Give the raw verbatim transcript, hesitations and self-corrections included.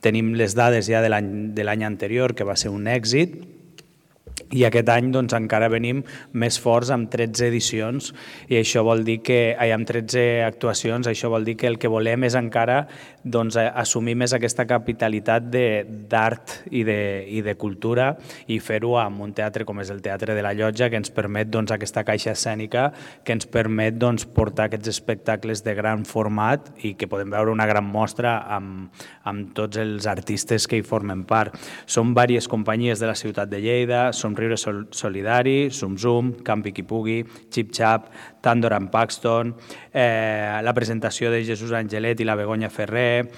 tenim les dades ja de l'any anterior, que va ser un èxit, i aquest any doncs, encara venim més forts amb tretze edicions i això vol dir que ai, amb tretze actuacions, això vol dir que el que volem és encara doncs, assumir més aquesta capitalitat d'art i, de, i de cultura i fer-ho amb un teatre com és el Teatre de la Llotja, que ens permet doncs, aquesta caixa escènica, que ens permet doncs, portar aquests espectacles de gran format i que podem veure una gran mostra amb, amb tots els artistes que hi formen part. Són diverses companyies de la ciutat de Lleida, Somriure Solidari, Zum Zum, Campi qui pugui, Xip Xap, Tandor and Paxton, eh, la presentació de Jesús Angelet i la Begoña Ferrer,